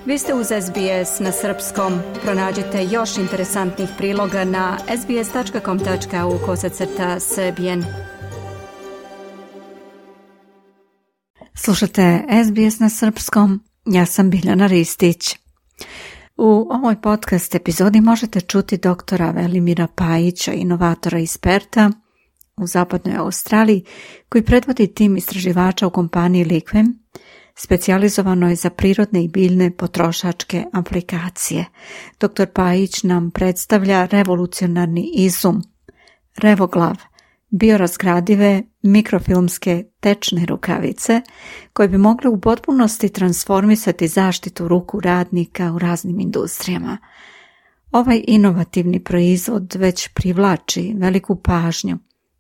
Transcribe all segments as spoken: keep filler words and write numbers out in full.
Vi ste uz S B S na srpskom. Pronađite još interesantnih priloga na sbs.com.au kosacrta srbijen. Slušate S B S na srpskom. Ja sam Biljana Ristić. U ovoj podcast epizodi možete čuti doktora Velimira Pajića, inovatora iz Perta u zapadnoj Australiji, koji predvodi tim istraživača u kompaniji Liqvem, specijalizovanoj za prirodne i biljne potrošačke aplikacije. doktor Pajić nam predstavlja revolucionarni izum, Revoglav, biorazgradive mikrofilmske tečne rukavice koje bi mogle u potpunosti transformisati zaštitu ruku radnika u raznim industrijama. Ovaj inovativni proizvod već privlači veliku pažnju.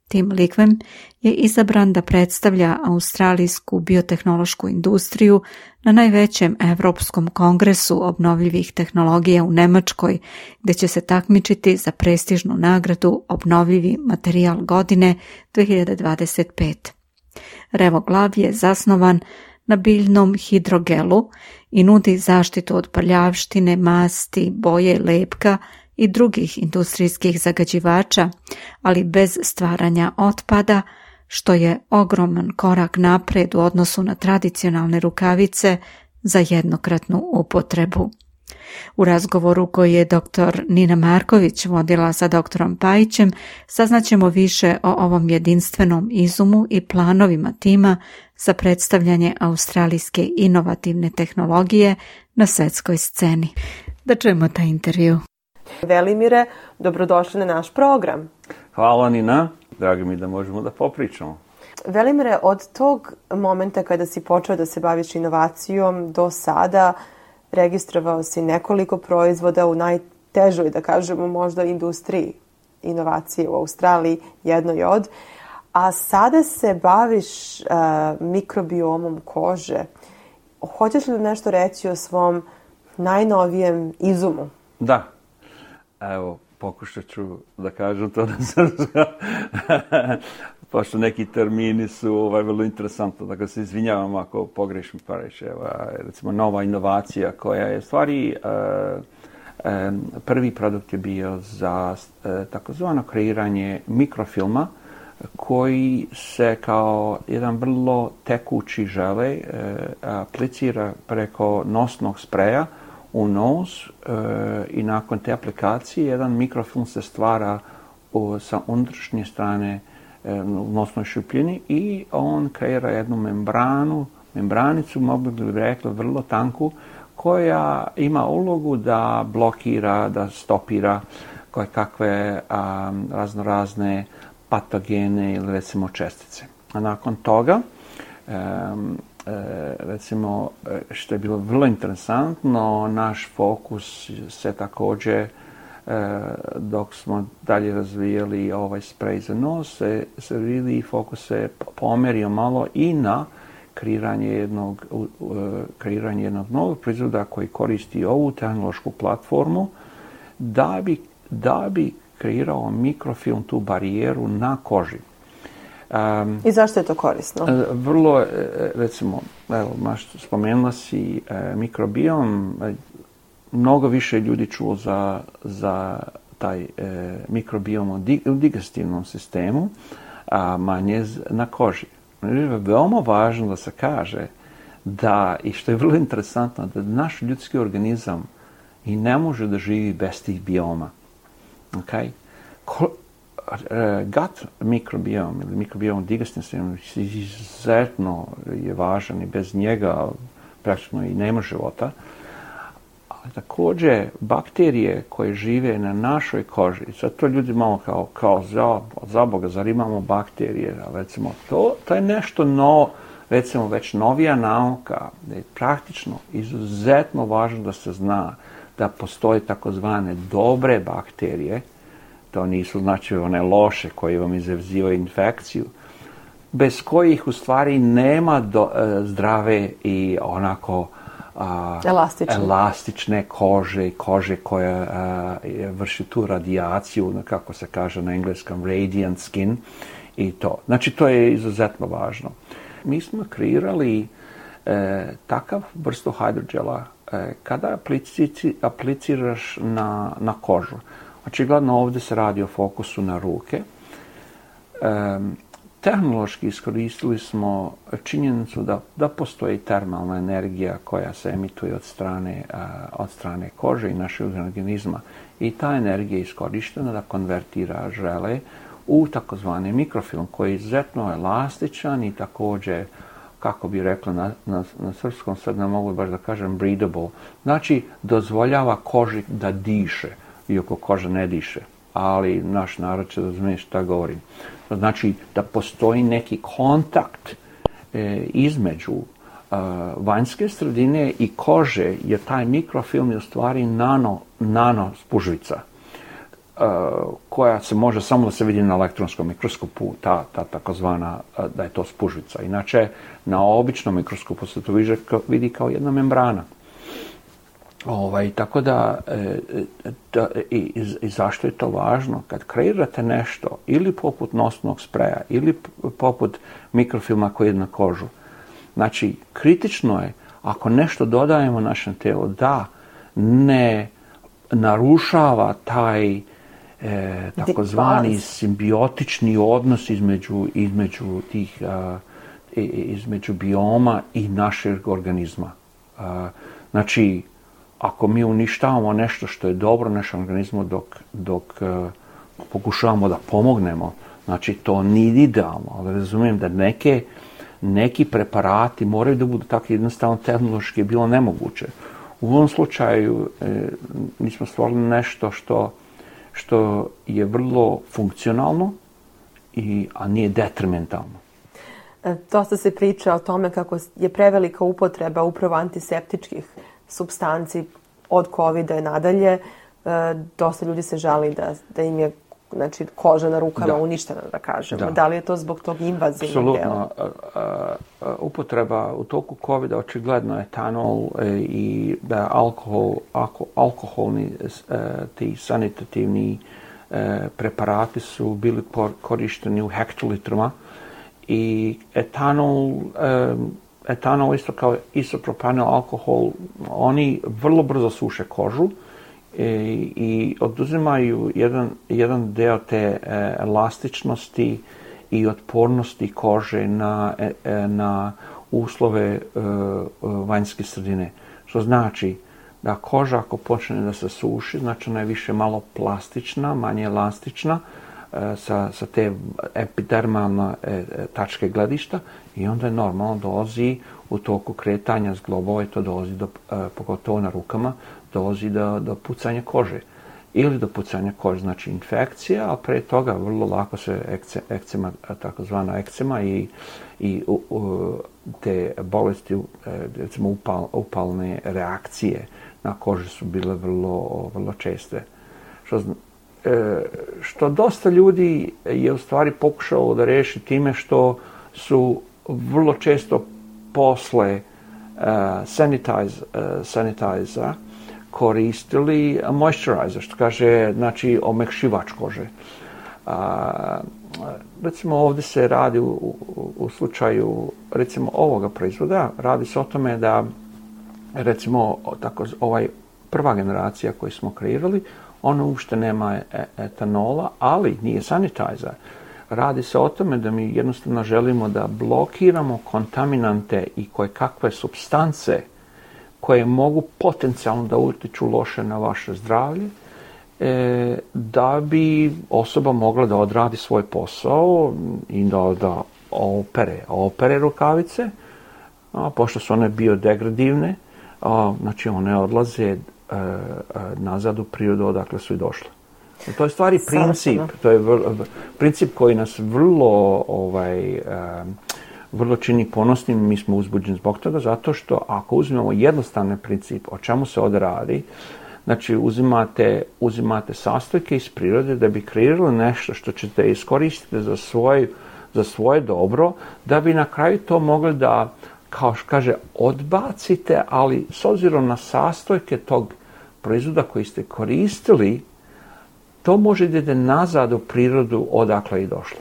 Tim Liqvem je izabran da predstavlja australijsku biotehnološku industriju na najvećem Evropskom kongresu obnovljivih tehnologija u Nemačkoj, gdje će se takmičiti za prestižnu nagradu Obnovljivi materijal godine dve hiljade dvadeset pete. Revoglav je zasnovan na biljnom hidrogelu i nudi zaštitu od prljavštine, masti, boje, lepka i drugih industrijskih zagađivača, ali bez stvaranja otpada, što je ogroman korak napred u odnosu na tradicionalne rukavice za jednokratnu upotrebu. U razgovoru koji je doktor Nina Marković vodila sa doktorom Pajićem, saznaćemo više o ovom jedinstvenom izumu i planovima tima za predstavljanje australijske inovativne tehnologije na svjetskoj sceni. Da čujemo taj intervju. Velimire, dobrodošli na naš program. Hvala Nina, drago mi da možemo da popričamo. Velimire, od tog momenta kada si počeo da se baviš inovacijom do sada, registrovao si nekoliko proizvoda u najtežoj, da kažemo, možda industriji inovacije u Australiji, jednoj od, a sada se baviš uh, mikrobiomom kože. Hoćeš li nešto reći o svom najnovijem izumu? Da. Evo, pokušat ću da kažem to na srpska, pošto neki termini su ovaj, vrlo interesantni, dakle se izvinjavam ako pogrešim pa reći. Evo, recimo, nova inovacija koja je stvari, uh, um, prvi produkt je bio za uh, takozvano kreiranje mikrofilma koji se kao jedan vrlo tekući žele uh, aplicira preko nosnog spreja u nos e, i nakon te aplikacije jedan mikrofilm se stvara u, sa unutrašnje strane e, u nosnoj šupljini i on kreira jednu membranu, membranicu, mogli bi rekli vrlo tanku, koja ima ulogu da blokira, da stopira koje kakve a, razno razne patogene ili recimo čestice. A nakon toga e, E, recimo, što je bilo vrlo interesantno, naš fokus se također, e, dok smo dalje razvijali ovaj sprej za nos, se, se really fokus se pomerio malo i na kreiranje jednog, uh, kreiranje jednog novog proizvoda koji koristi ovu tehnološku platformu da bi, da bi kreirao mikrofilm, tu barijeru na koži. Um, I zašto je to korisno? Vrlo, recimo, evo, spomenula si e, mikrobiom, e, mnogo više ljudi čulo za, za taj e, mikrobiom u, di, u digestivnom sistemu, a manje na koži. Veoma važno da se kaže da, i što je vrlo interesantno, da naš ljudski organizam i ne može da živi bez tih bioma. Okay? Ko, gut mikrobiom ili mikrobiom digestivnog sistema izuzetno je važan i bez njega praktično i nema života. Ali također bakterije koje žive na našoj koži, sad to ljudi malo kao, kao za, za Boga, zar imamo bakterije, recimo, to, to je nešto novo, recimo već novija nauka, da je praktično izuzetno važno da se zna da postoje takozvane dobre bakterije. To nisu znači one loše koje vam izazivaju infekciju, bez kojih u stvari nema do, e, zdrave i onako a, elastične. elastične kože, kože koja a, vrši tu radijaciju, kako se kaže na engleskom, radiant skin i to. Znači to je izuzetno važno. Mi smo kreirali e, takav vrstu hidrogela e, kada aplici, apliciraš na, na kožu, očigledno ovdje se radi o fokusu na ruke, e, tehnološki iskoristili smo činjenicu da, da postoji termalna energija koja se emituje od strane, uh, od strane kože i našeg organizma. I ta energija je iskorištena da konvertira žele u takozvani mikrofilm koji je izuzetno elastičan i također, kako bi rekla na, na, na srpskom, sad ne mogu baš da kažem breathable, znači dozvoljava koži da diše, iako koža ne diše. Ali naš narod će razumije šta govorim. To znači da postoji neki kontakt e, između e, vanjske sredine i kože, jer taj mikrofilm je u stvari nano, nano spužvica, e, koja se može samo da se vidi na elektronskom mikroskopu, ta, ta takozvana, da je to spužvica. Inače, na običnom mikroskopu se to vidi kao jedna membrana. Ovaj, tako da, e, da i, i zašto je to važno? Kad kreirate nešto, ili poput nosnog spreja, ili poput mikrofilma koji je na kožu, znači, kritično je, ako nešto dodajemo našem telu, da ne narušava taj e, takozvani simbiotični odnos između, između tih, a, između bioma i našeg organizma. A, znači, ako mi uništavamo nešto što je dobro našem organizmu dok, dok uh, pokušavamo da pomognemo, znači to nije idealno, ali razumijem da neke, neki preparati moraju da budu tako jednostavno tehnološki je bilo nemoguće. U ovom slučaju e, mi smo stvorili nešto što, što je vrlo funkcionalno, i, a nije detrimentalno. Dosta se priča o tome kako je prevelika upotreba upravo antiseptičkih supstanci od covida i nadalje. E, dosta ljudi se žali da, da im je znači, koža na rukama da. uništena, da kažemo. Da. da li je to zbog tog invazivnog dela? Apsolutno. Upotreba u toku covida očigledno etanol i da alkohol, alko, alkoholni ti sanitativni preparati su bili korišteni u hektolitrama i etanol etanol isto kao isopropanol alkohol, oni vrlo brzo suše kožu i, i oduzimaju jedan, jedan deo te e, elastičnosti i otpornosti kože na, e, na uslove e, vanjske sredine. Što znači da koža ako počne da se suši, znači ona je više malo plastična, manje elastična, Sa, sa te epidermalne e, tačke gledišta i onda je normalno dolazi u toku kretanja zglobova i to dolazi do, e, pogotovo na rukama, dolazi do, do pucanja kože ili do pucanja kože, znači infekcija, a pre toga vrlo lako se ekce, ekcema, takozvana ekcema i, i u, u, te bolesti, recimo upal, upalne reakcije na koži su bile vrlo, vrlo česte. Što što dosta ljudi je u stvari pokušalo da reši time što su vrlo često posle uh, sanitize, uh, sanitizer koristili moisturizer, što kaže, znači, omekšivač kože. Uh, recimo ovdje se radi u, u, u slučaju, recimo, ovoga proizvoda, radi se o tome da, recimo, tako, ovaj prva generacija koju smo kreirali, ono uopšte nema etanola, ali nije sanitizer. Radi se o tome da mi jednostavno želimo da blokiramo kontaminante i koje kakve supstance koje mogu potencijalno da utiču loše na vaše zdravlje, e, da bi osoba mogla da odradi svoj posao i da, da opere, opere rukavice, a, pošto su one biodegradivne, a, znači one odlaze nazad u prirodu odakle su i došle. To je stvari princip, to je vrlo, princip koji nas vrlo, ovaj, vrlo čini ponosnim, mi smo uzbuđeni zbog toga, zato što ako uzmemo jednostavni princip, o čemu se ovdje radi, znači uzimate, uzimate sastojke iz prirode da bi kreirali nešto što ćete iskoristiti za svoje, za svoje dobro, da bi na kraju to mogli da, kao što kaže, odbacite, ali s obzirom na sastojke tog proizvoda koji ste koristili, to može da ide nazad u prirodu odakle i došlo.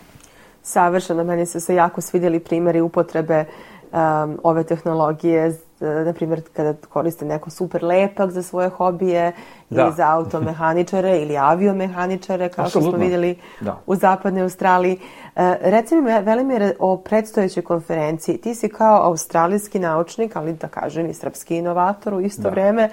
Savršeno, meni su se jako svidjeli primjeri upotrebe um, ove tehnologije, na primjer kada koriste neko super lepak za svoje hobije da. ili za automehaničare ili aviomehaničare, kao Absolutno. što smo vidjeli da. u zapadnoj Australiji. E, reci mi, Velimire, o predstojećoj konferenciji. Ti si kao australijski naučnik, ali da kažem i srpski inovator u isto da. vreme,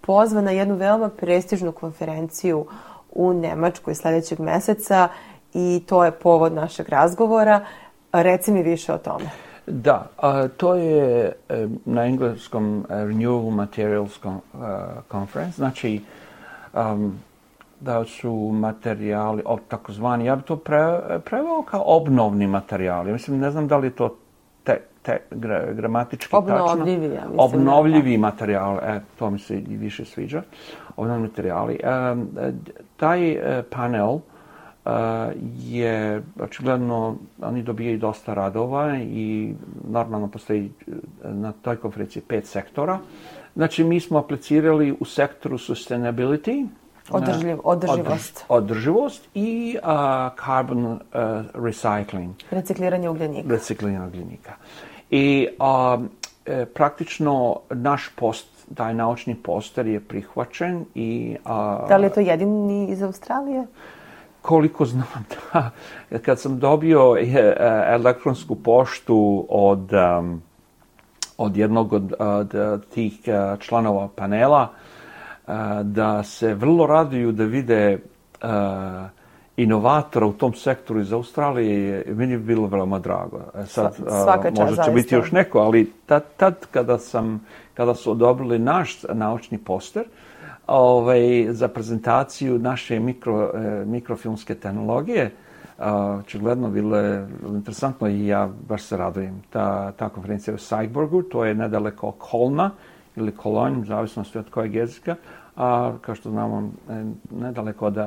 pozvan na jednu veoma prestižnu konferenciju u Nemačkoj sljedećeg meseca i to je povod našeg razgovora. Reci mi više o tome. Da, a, to je e, na engleskom e, Renewable Materials con, uh, Conference, znači um, da su materijali, o, takozvani, ja bi to pre, preveo kao obnovni materijali. Mislim, ne znam da li je to te, te, gra, gramatički Obnovljivi, tačno. Ja mislim. Obnovljivi materijali, e, to mi se i više sviđa. Obnovljivi materijali. E, taj e, panel Uh, je očigledno, oni dobijaju dosta radova i normalno postoji na toj konferenciji pet sektora. Znači, mi smo aplicirali u sektoru sustainability, Održiv, održivost. Održ, održivost i uh, carbon uh, recycling. Recikliranje ugljenika. Recikliranje ugljenika. I uh, e, praktično naš post, taj naučni poster je prihvaćen i... Uh, da li je to jedini iz Australije? Koliko znam, da, kad sam dobio elektronsku poštu od, um, od jednog od, od tih članova panela, uh, da se vrlo raduju da vide uh, inovatora u tom sektoru iz Australije, meni je bilo veoma drago. Sad, Svaka čast, možda će zaista. biti još neko, ali tad, tad kada, sam, kada su odobrili naš naučni poster, Ovaj, za prezentaciju naše mikro, eh, mikrofilmske tehnologije, očigledno bilo je interesantno i ja baš se radujem. Ta, ta konferencija u Seiburgu, to je nedaleko Kolna ili Kolonj, zavisnosti od kojeg jezika, a kao što znamo, nedaleko od,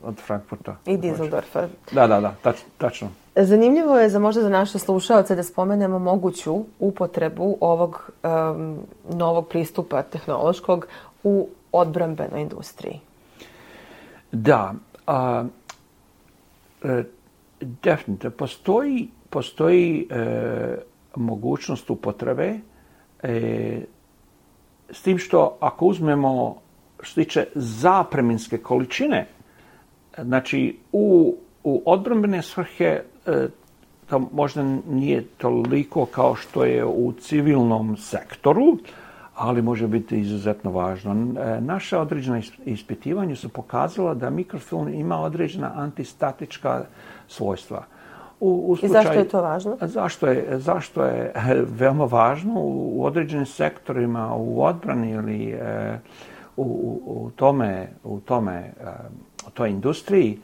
od Frankfurta. I Düsseldorfa. Da, da, da, tač, tačno. Zanimljivo je za možda za naše slušaoce da spomenemo moguću upotrebu ovog um, novog pristupa tehnološkog u odbrambenoj industriji. Da, a, e, definitivno. Postoji, postoji e, mogućnost upotrebe, e, s tim što ako uzmemo što se tiče zapreminske količine, znači u, u odbrambene svrhe e, to možda nije toliko kao što je u civilnom sektoru, ali može biti izuzetno važno. Naša određena ispitivanja su pokazala da mikrofilm ima određena antistatička svojstva. U, u slučaju, I zašto je to važno? Zašto je, zašto je veoma važno u, u određenim sektorima, u odbrani ili e, u, u, tome, u tome, e, u toj industriji,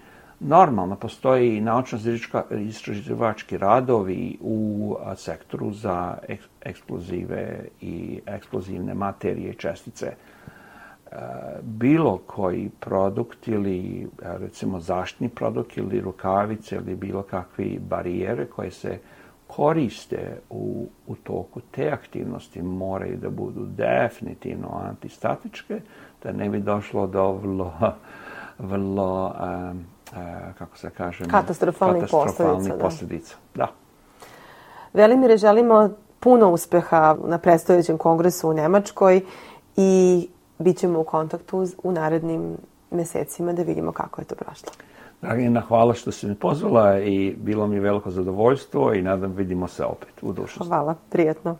normalno postoji naučno-istraživački radovi u a, sektoru za ek, eksplozive i eksplozivne materije i čestice. E, bilo koji produkt ili recimo zaštitni produkt ili rukavice ili bilo kakve barijere koje se koriste u, u toku te aktivnosti moraju da budu definitivno antistatičke, da ne bi došlo do vrlo, vrlo um, Uh, kako se kaže, katastrofalnih posljedica. posljedica. Da. Velimire, želimo puno uspeha na predstojećem kongresu u Nemačkoj i bit ćemo u kontaktu u narednim mjesecima da vidimo kako je to prošlo. Dragina, hvala što si me pozvala i bilo mi veliko zadovoljstvo i nadam vidimo se opet u budućnosti. Hvala, prijatno.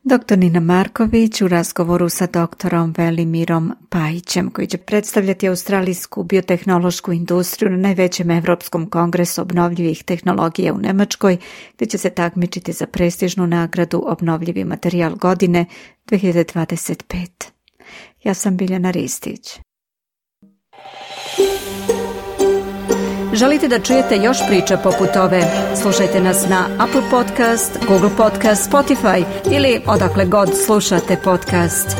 Doktor Nina Marković u razgovoru sa doktorom Velimirom Pajićem, koji će predstavljati australijsku biotehnološku industriju na najvećem Evropskom kongresu obnovljivih tehnologija u Nemačkoj, gdje će se takmičiti za prestižnu nagradu Obnovljivi materijal godine dvije hiljade dvadeset pete. Ja sam Biljana Ristić. Želite da čujete još priča poput ove? Slušajte nas na Apple Podcast, Google Podcast, Spotify ili odakle god slušate podcast.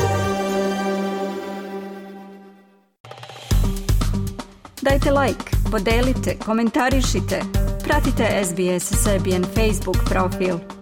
Dajte like, podelite, komentarišite. Pratite S B S Serbian Facebook profil.